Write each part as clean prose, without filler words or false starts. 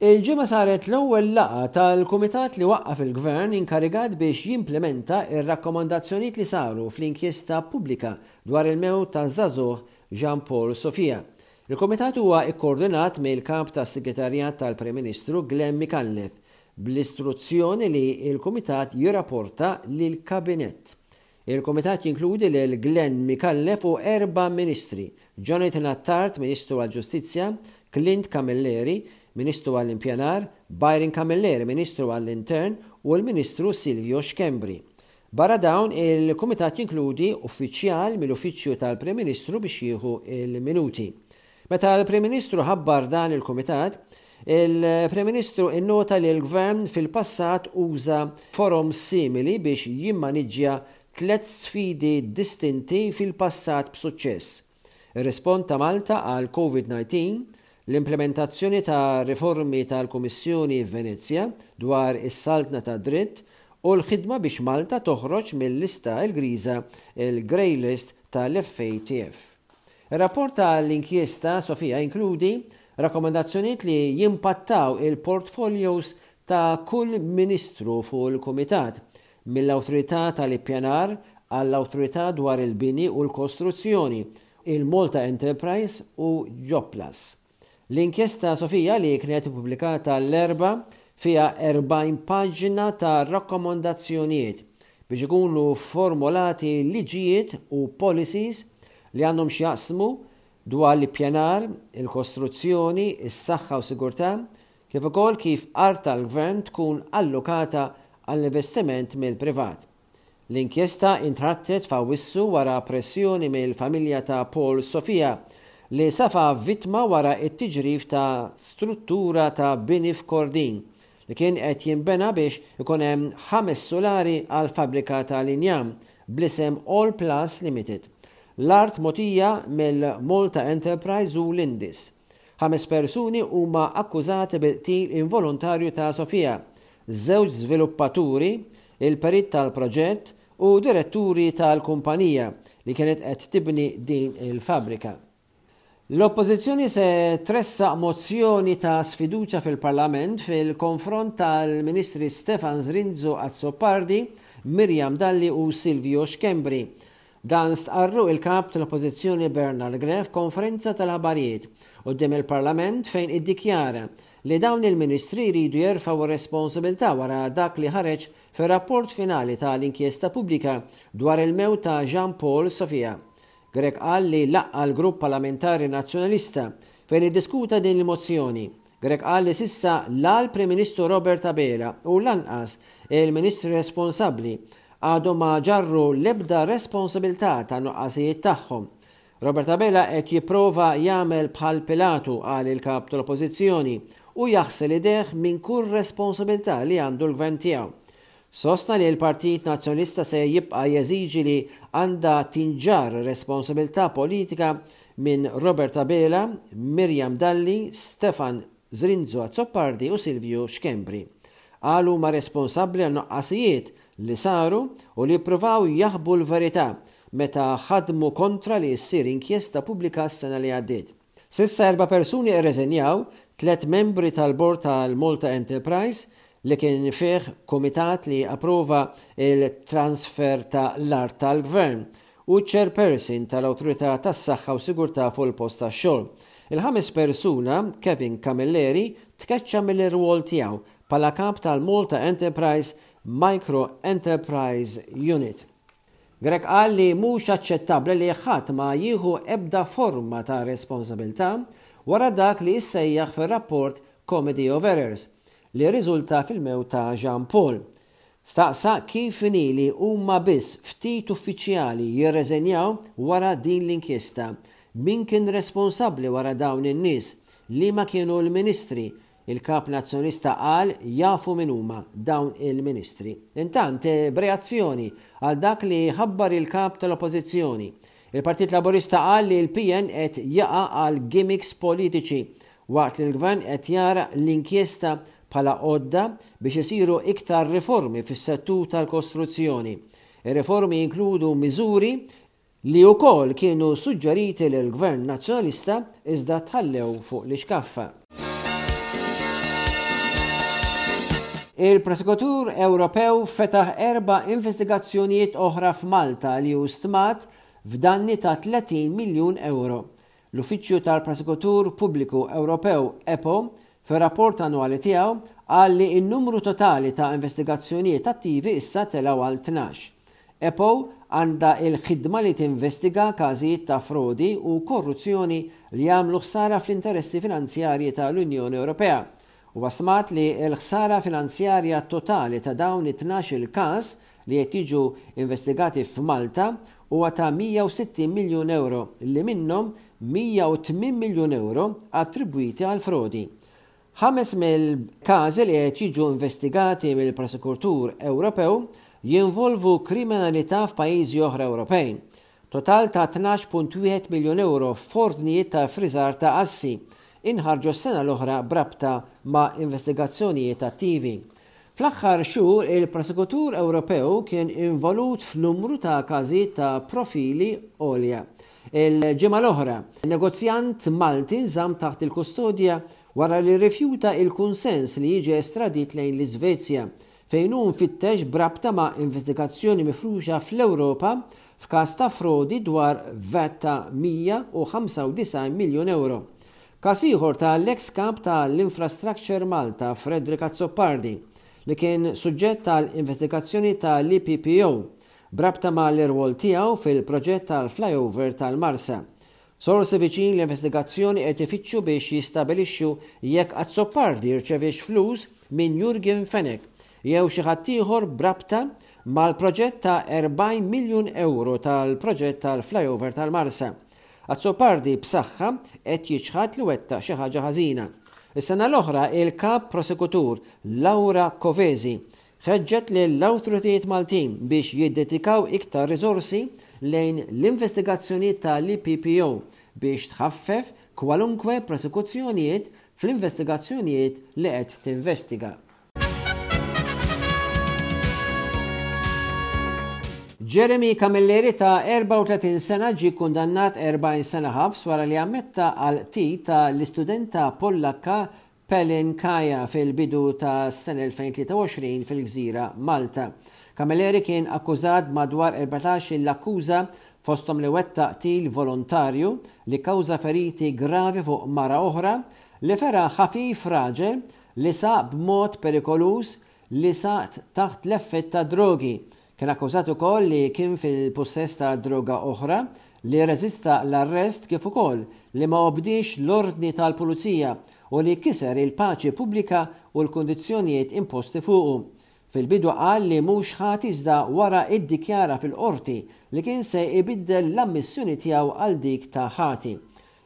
Il-Ġimgħa saret l-ewwel laqgħa tal-Kumitat li waqqaf il-Gvern inkarigat biex jimplimenta r-rakkomandazzjonijiet li saru fl-inkjesta pubblika dwar il-mewt taż-żagħżugħ Jean Paul Sofia. Il-Kumitat huwa kkoordinat mill-Kap tas-Segretarjat tal-Prim Ministru Glenn Micallef bl-istruzzjoni li l-Kumitat jirraporta lill-Kabinett. Il-Kumitat jinkludi lil Glenn Micallef u erba' Ministri, Jonathan Attard, Ministru għall-Ġustizzja, Clint Camilleri, Ministru għall-Impjanar, Byron Camilleri, Ministru għall-Intern, u l-Ministru Silvio Schembri. Barra dawn, il-Kumitat jinkludi uffiċjal mill-Uffiċċju tal-Prim Ministru biex jieħu l-minuti. Meta l-Prim Ministru ħabbar dan il-Kumitat, il-Prim Ministru innota li l-Gvern fil-passat uża forom simili biex jimmaniġġja tlett sfidi distinti fil-passat b'suċċess, ir-rispond ta' Malta għall-Covid 19, l-implimentazzjoni ta' riformi tal-Kummissjoni Venezja dwar is-saltna tad-dritt u l-ħidma biex Malta toħroġ mil-lista l-griża, il-grey list tal-FATF. Ir-rapport tal-inkjesta Sofia jinkludi rakkomandazzjonijiet li jimpattaw il-portfolios ta' kull Ministru fuq il-Kumitat, mill-Awtorità tal-Ippjanar għall-Awtorità dwar il-Bini u l-Kostruzzjoni, il-Malta Enterprise u Jobplus. L-inkjesta Sofia li kienet ippubblikata l-Erbgħa fiha 40 paġna ta' rakkomandazzjonijiet biex ikunu formolati liġijiet u policies li għandhom x'jaqsmu dwar l-ippjanar, il-kostruzzjoni, is-saħħa u sigurtà, kif ukoll kif art tal-Gvern tkun allokata għall-investiment mill-privat. L-inkjesta intrattet f'Awwissu wara pressjoni mill-familja ta' Paul Sofia li safa vittma wara t-tiġrif ta' struttura ta' bini f'Kordin li kien qed jinbena biex ikun hemm ħames sulari għal fabbrika tal-injam bl-isem All Plus Limited. L-art mogħtija mill-Malta Enterprise u l-Indis. Ħames persuni huma akkużati bil-qtil involontarju ta' Sofia, żewġ żviluppaturi, il-perit tal-proġett u diretturi tal-kumpanija li kienet qed tibni din il-fabbrika. L-Oppożizzjoni se tressaq mozzjoni ta' sfiduċja fil-Parlament fil-konfront tal-Ministri Stefan Zrinzo Azzopardi, Miriam Dalli u Silvio Schembri Dan stqarru il-Kap tal-Oppożizzjoni Bernard Grech f'konferenza tal-aħbarijiet quddiem il-Parlament fejn iddikjara li dawn il-Ministri jridu jerfgħu r-responsabilità wara dak li ħareġ fir-rapport finali tal-inkjesta pubblika dwar il-mewt ta' Jean Paul Sofia. Grech qal li laqqa' l-Grupp Parlamentari Nazzjonalista fejn iddiskuta din il-mozzjoni. Grech qal li s'issa la l-Prim Ministru Robert Abela u lanqas il-Ministri responsabbli għadhom ma ġarru l-ebda responsabilità tan-nuqqasijiet tagħhom. Robert Abela qed jipprova jagħmel bħal Pilatu, qal il-Kap tal-Oppożizzjoni, u jaħsel idejh minn kull responsabilità li għandu l-Gvern tiegħu. Sostna li l-Partit Nazzjonalista se jibqa' jeżiġi li għandha tinġarr responsabilità politika minn Robert Abela, Miriam Dalli, Stefan Zrinzo Azzopardi u Silvio Schembri. Qal huma responsabbli għan-nuqqasijiet li saru u li ppruvaw jaħbu l-verità meta ħadmu kontra li ssir inkjesta pubblika s-sena li għaddiet. S'issa erba' persuni rreżenjaw, tlett membri tal-bord tal-Malta Enterprise li kien fih kumitat li approva l-transfer ta' l-art tal-Gvern u ċ-chairperson tal-Awtorità tas-Saħħa u Sigurtà fuq il-Post tax-Xogħol. Il-ħames persuna, Kevin Camilleri, tkeċċa mill-irwol tiegħu bħala kap tal-Malta Enterprise Micro Enterprise Unit. Grech qal li mhux aċċettabbli li ħadd ma jieħu ebda forma ta' responsabilità wara dak li issejjaħ fir-rapport Comedy of Errors li rriżulta fil-mewt ta' Jean Paul. Staqsa kif inhi li huma biss ftit uffiċjali jirreżenjaw wara din l-inkjesta. Min kien responsabbli wara dawn in-nies? Liema kienu l-Ministri? Il-Kap Nazzjonalista qal jafu min huma dawn il-Ministri. Intant, b'reazzjoni għal dak li ħabbar il-Kap tal-Oppożizzjoni, il-Partit Laburista qal li l-PN qed jaqa' għal gimmicks politiċi waqt li l-Gvern qed jara l-inkjesta bħala għodda biex isiru iktar riformi fis-settur tal-kostruzzjoni. Ir-riformi jinkludu miżuri li wkoll kienu suġġeriti lill-Gvern Nazzjonalista iżda tħallew fuq l-ixkaffa. Il-Prosekutur Ewropew fetaħ erba' investigazzjonijiet oħra f'Malta li hu stmat f'danni ta' 30 miljun ewro. L-Uffiċċju tal-Prosekutur Pubbliku Ewropew, EPPO, fir-rapport annwali tiegħu qal li n-numru totali ta' investigazzjonijiet attivi issa telgħu għal 12. EPPO għandha l-ħidma li tinvestiga każijiet ta' frodi u korruzzjoni li jagħmlu ħsara fl-interessi finanzjarji ta' l-Unjoni Ewropea. Huwa stmat li l-ħsara finanzjarja totali ta' dawn it-tnax-il każ li qed jiġu investigati f'Malta huwa ta' 160 miljun ewro li minnhom 108 miljun ewro attribwiti għall-frodi. Ħames mill-każi li qed jiġu investigati mill-Prosekutur Ewropew jinvolvu kriminalità f'pajjiżi oħra Ewropej. Total ta' 12.1 miljun ewro f'ordnijiet ta' ffriżar ta' assi inħarġu s-sena l-oħra b'rabta ma' investigazzjonijiet attivi. Fl-aħħar xhur il-Prosekutur Ewropew kien involut f'numru ta' każijiet ta' profili għolja. Il-ġimgħa l-oħra, negozjant Malti nżamm taħt il-kustodja wara li rrifjuta il-kunsens li jiġi estradit lejn l-Iżvezja, fejn hu mfittex b'rabta ma' investigazzjoni mifruxa fl-Ewropa f'każ ta' frodi dwar vat ta' 195 miljun ewro. Każ ieħor ta' l-eks Kap ta' l-Infrastructure Malta Frederick Azzopardi li kien suġġett għal investigazzjoni ta' l-EPPO b'rabta ma' l-irwol tiegħu fil-proġett tal-flyover tal-Marsa. Sorsi viċin l-investigazzjoni qed ifittxu biex jistabilixxu jekk Azzopardi rċeviex flus minn Yorgen Fenech jew xi ħadd ieħor b'rabta mal-proġett ta' 40 miljun ewro tal-proġett tal-flyover tal-Marsa. Azzopardi b'saħħa qed jiċħad li wettaq xi ħaġa ħażina. Is-sena l-oħra il-Kap Prosekutur Laura Kovesi ħeġġet lill-awtoritajiet Maltin biex jiddedikaw iktar riżorsi lejn l-investigazzjonijiet tal-EPPO biex tħaffef kwalunkwe prosekuzzjonijiet fl-investigazzjonijiet li qed tinvestiga. Jeremy Camilleri ta' 34 sena ġie kkundannat 40 sena ħabs wara li ammetta għall-qtil ta' l-istudenta Pollakka Pelin Kaya fil-bidu tas-sena 2023 fil-gżira Malta. Camilleri kien akkużat b'madwar 14 il akkuża fosthom li wettaq qtil volontarju, li kkawża feriti gravi fuq mara oħra, li fera ħafif raġel, li saq b'mod perikoluż, li saq taħt l-effett ta' drogi. Kien akkużat ukoll li kien fil-pussess ta' droga oħra, li rreżista l-arrest kif ukoll li ma obdiex l-ordni tal-pulizija u li kiser il-paċi pubblika u l-kundizzjonijiet imposti fuqu. Fil-bidu qal li mhux ħati iżda wara iddikjara fil-Qorti li kien se ibiddel l-ammissjoni tiegħu għal dik ta' ħati.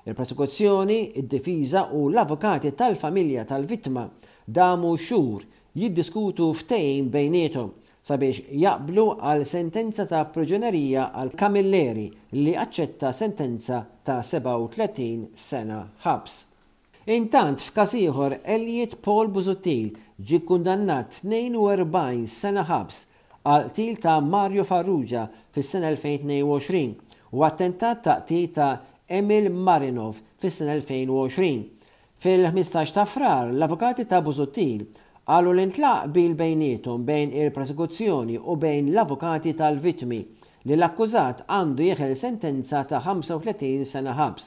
Il-prosekuzzjoni, id-difiża u l-avukati tal-familja tal-vittma damu xhur jiddiskutu ftehim bejniethom sabiex jaqblu għal sentenza ta' priġunerija għal Camilleri li aċċetta sentenza ta' 37 sena ħabs. Intant f'każ ieħor Elliot Paul Busuttil ġie kkundannat 42 sena ħabs għall-qtil ta' Mario Farrugia fis-sena 2022 u attentat ta' qtil ta' Emil Marinov fis-sena 2020. Fil-15 ta' Frar, l-avukati ta' Busuttil qalu li ntlaq qbil bejniethom bejn il-prosekuzzjoni u bejn l-avukati tal-vittmi li l-akkużat għandu jeħel sentenza ta' 35 sena ħabs.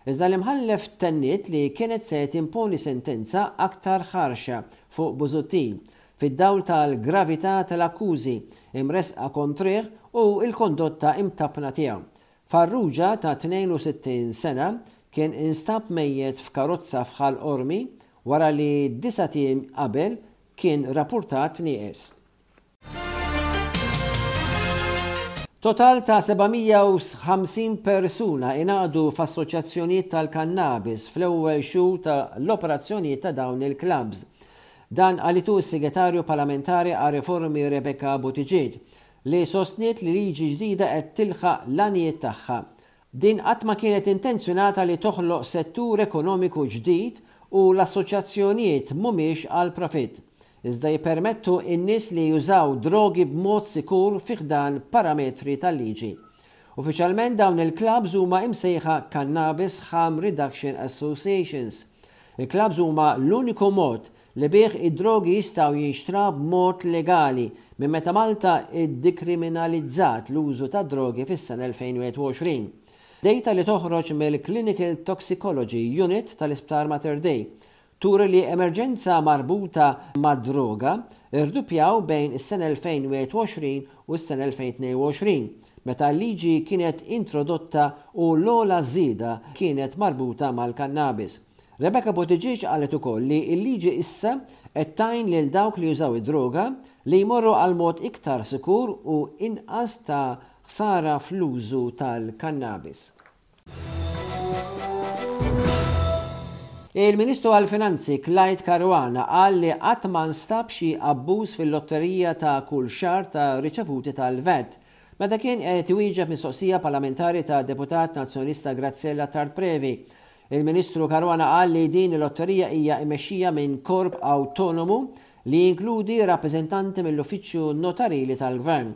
Iżda l-Imħallef tenniet li kienet se timponi sentenza aktar ħarxa fuq Busuttil, fid-dawl tal-gravità tal-akkużi mressqa kontrih u l-kondotta imtappna tiegħu. Farrugia ta' 62 sena kien instab mejjet f'karozza f'Ħal Qormi wara li disat ijiem qabel kien rappurtat nieqes. Total ta' 750 persuna ingħaqdu f'assoċjazzjonijiet tal-kannabis fl-ewwel xhur ta' l-operazzjonijiet ta' dawn il-klabbs. Dan qalitu s-Segretarju Parlamentari għar-Riformi Rebecca Buttigieg, li sostniet li liġi ġdida qed tilħaq l-għanijiet tagħha. Din qatt ma kienet intenzjonata li toħloq settur ekonomiku ġdid u l-assoċjazzjonijiet mhumiex għall-profitt, iżda jippermettu n-nies li jużaw drogi b'mod sikur fi ħdan parametri tal-liġi. Uffiċjalment dawn il-klabbs huma imsejħa Cannabis Harm Reduction Associations. Il-klabbs huma l-uniku mod. li bih id-drogi jistgħu jinxtraw b'mod legali minn meta Malta ddikriminalizzat l-użu tad-drogi fis-sena 2021. Dejta li toħroġ mill-Clinical Toxicology Unit tal-Isptar Mater Dei turi li emerġenza marbuta mad-droga rduppjaw bejn is-sena 2021 u s-sena 2022, meta l-liġi kienet introdotta u l-ogħla żieda kienet marbuta mal-kannabis. Rebecca Buttigieg qalet ukoll li l-liġi issa qed tgħin lil dawk li jużaw id-droga li jmorru għal mod iktar sikur u inqas ta' ħsara fl-użu tal-kannabis. Il-Ministru għall-Finanzi Clyde Caruana qal li qatt ma nstab xi abbuż fil-lotterija ta' kull xahar ta' riċevuti tal-VAT. Meta kien qed iwieġeb mistoqsija parlamentari tad-Deputat Nazzjonalista Graziella Attard Previ, il-Ministru Caruana qal li din il-lotterija hija mmexxija minn korp awtonomu li jinkludi rappreżentanti mill-Uffiċċju Notarili tal-Gvern.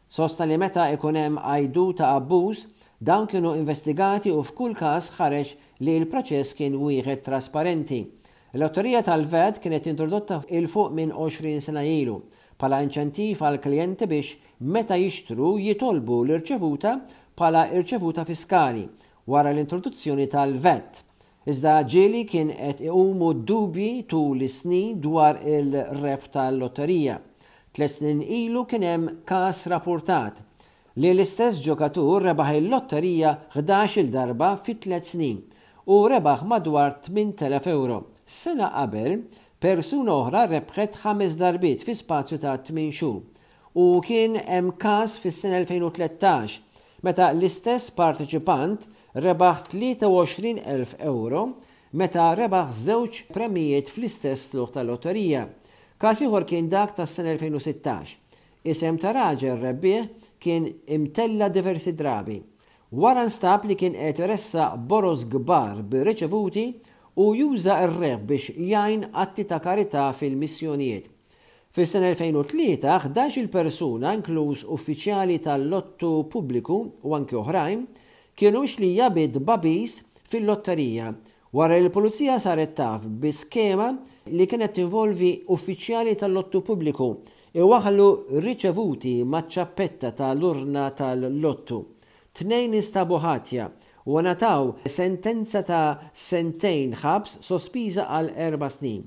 Sostna li meta ikun hemm għajdut ta' abbuż, dawn kienu investigati u f'kull każ ħareġ li l-proċess kien wieħed trasparenti. Il-lotterija tal-VAT kienet introdotta 'il fuq minn 20 sena ilu, bħala inċentiv għall-klijenti biex meta jixtru jitolbu l-irċevuta bħala irċevuta fiskali, wara l-introduzzjoni tal-VAT. Iżda ġieli kien qed iqumu dubji tul is-snin dwar il-rebħ tal-lotterija. Tlett snin ilu kien hemm każ rapurtat li l-istess ġokatur rebaħ il-lotterija 11-il darba fi tlett snin u rebaħ madwar 8,000 ewro. Sena qabel, persuna oħra rebħet ħames darbiet fi spazju ta' tmien xhur. U kien hemm każ fis-sena 2013 meta l-istess parteċipant rebaħ 23,000 ewro meta rebaħ żewġ premijiet fl-istess tlugħ tal-lotterija. Każ ieħor kien dak tas-sena 2016. Isem ta' raġel rebbieħ kien imtella' diversi drabi. Wara nstab li kien qed iressaq boroż kbar bir-riċevuti u juża r-rebħ biex jgħin atti ta' karità fil-missjonijiet. Fis-sena 2003, 11-il persuna, inkluż uffiċjali tal-lottu pubbliku u anki oħrajn, kienu mixlija bi tbagħbis fil-lotterija wara li l-Pulizija saret taf bi skema li kienet tinvolvi uffiċjali tal-lottu pubbliku iwaħħlu riċevuti maċ-ċappetta ta' l-urna tal-lottu. Tnejn instabu ħatja u ngħataw sentenza ta' sentejn ħabs sospiża għal erba' snin.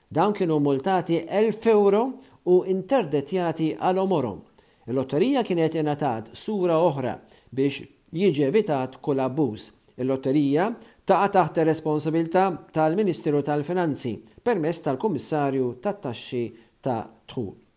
Dawn kienu mmultati 1,000 ewro u interdettjati għal għomorhom. Il-lotterija kienet ingħatat sura oħra biex jiġi evitat kull abbuż. Il-lotterija taqa' taħt ir-responsabilità tal-Ministeru tal-Finanzi permezz tal-Kummissarju tat-Taxxi tad-Dħul.